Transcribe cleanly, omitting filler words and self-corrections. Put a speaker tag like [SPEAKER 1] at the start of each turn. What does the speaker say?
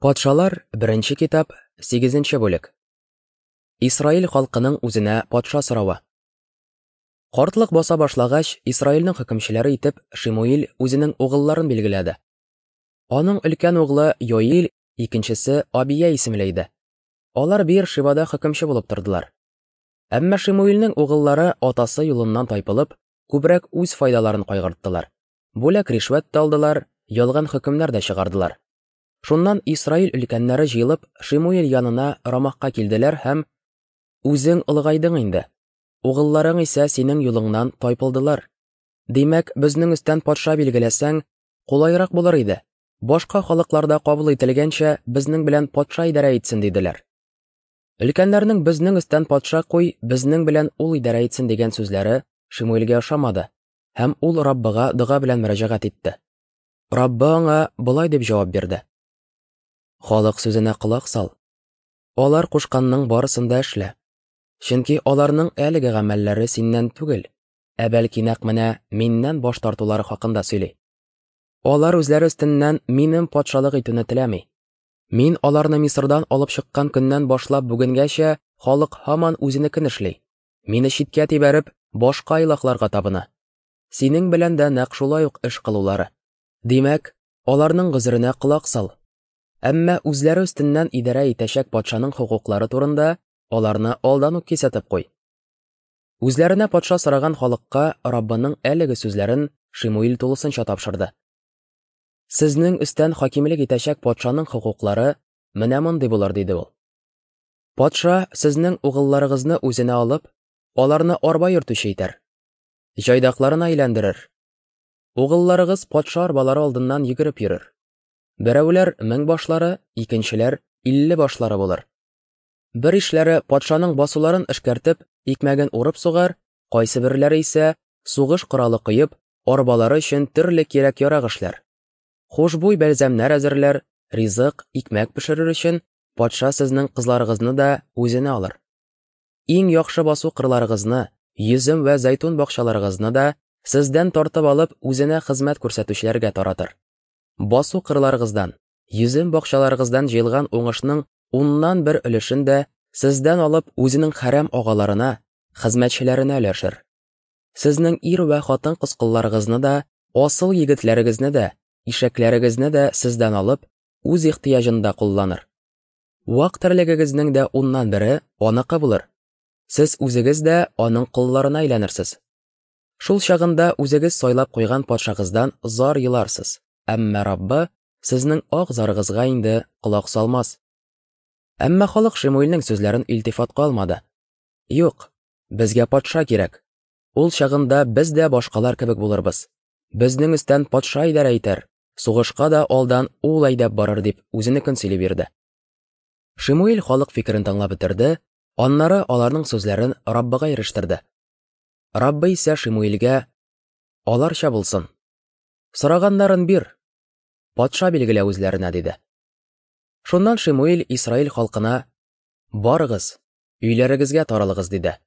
[SPEAKER 1] Патшалар, беренче китап, 8 бүлек. Исраил халкының үзенә патша соравы. Картлык баса башлагач, Исраилнең хөкемчеләре итеп Шимуил үзенең угылларын билгеләде. Аның өлкән углы Йоил, икенчесе Абия исемле иде. Алар Бир Шибада хөкемче булып тордылар. Әмма Шимуилнең угыллары атасы юлыннан тайпылып, күбрәк үз файдаларын кайгырттылар. Бүләк ришвәт тә алдылар, ялган хөкемнәр дә чыгардылар. Шуннан Исраил өлкәннәре җыелып, Шимуил янына Рамахка килделәр һәм: "Үзең олыгайдың инде. Угылларың исә синең юлыңнан тайпылдылар. Димәк, безнең өстән патша билгеләсәң, кулайрак булыр иде. Башка халыкларда кабул ителгәнчә, безнең белән патша идарә итсен", диделәр. Өлкәннәрнең безнең өстән патша куй, безнең белән ул идарә итсен дигән сүзләре Шимуилгә ошамады, һәм ул Раббыга дога белән мөрәҗәгать итте. Раббы аңа болай дип җавап бирде: Халык сүзенә колак сал. Алар кушканның барысын да эшлә. Чөнки аларның әлеге гамәлләре синнән түгел, ә бәлки нәкъ менә миннән баш тартулары хакында сөйли. Алар үзләре өстеннән минем патшалык итүне теләми. Мин аларны Мисырдан алып чыккан көннән башлап бүгенгәчә халык һаман үзенекен эшли. Мине читкә тибәреп, башка илаһларга табына. Синең белән дә нәкъ шулай ук эш кылулары. Димәк, аларның гозеренә колак сал. Әмма үзләре өстеннән идарә итәчәк патшаның хокуклары турында аларны алдан ук кисәтеп куй. Үзләренә патша сораган халыкка Раббының әлеге сүзләрен Шимуил тулысынча тапшырды. Сезнең өстән хакимлек итәчәк патшаның хокуклары менә мондый булыр, диде ул. Патша сезнең угылларыгызны үзенә алып, аларны арба йөртүче итәр. Җайдакларына әйләндерер. Угылларыгыз патша арбалары алдыннан йөгереп йөрер. Берәүләр мең башлары, икенчеләр 50 башлары булыр. Бер ишләре патшаның басуларын эшкәртеп, икмәген урып сугар, кайсы берләре исә сугыш коралы коеп, арбалары өчен төрле кирәк-ярак эшләр. Хушбуй бәлзәмнәр әзерләр, ризык, икмәк пешерер өчен патша сезнең кызларыгызны да үзенә алыр. Иң яхшы басу кырларыгызны, йөзем вә зәйтүн бакчаларыгызны да сездән тартып алып, үзенә хезмәт күрсәтүчеләргә таратыр. Басу кырларыгыздан, йөзем бакчаларыгыздан җыелган уңышның уннан бер өлешен дә сездән алып, үзенең хәрәм агаларына, хезмәтчеләренә өләшер. Сезнең ир вә хатын-кыз колларыгызны да, асыл егетләрегезне дә, ишәкләрегезне дә сездән алып, үз ихтыяҗында кулланыр. Вак терлегегезнең дә уннан бере аныкы булыр. Сез үзегез дә аның колларына әйләнерсез. Шул чагында үзегез сайлап куйган патшагыздан зар еларсыз, әмма Раббы сезнең ак зарыгызга инде колак салмас. Әмма халык Шимуилнең сүзләрен илтифатка алмады. Юк, безгә патша кирәк. Ул чагында без дә башкалар кебек булырбыз. Безнең өстән патша идарә итәр, сугышка да алдан ул әйдәп барыр, дип үзенекен сөйли бирде. Шимуил халык фикерен тыңлап бетерде, аннары аларның сүзләрен Раббыга ирештерде. Раббы исә Шимуилгә: "Аларча булсын. Сораганнарын бир. Патша билгелә үзләренә", диде. Шуннан Шимуил Исраил халкына: "Барыгыз, өйләрегезгә таралыгыз", диде.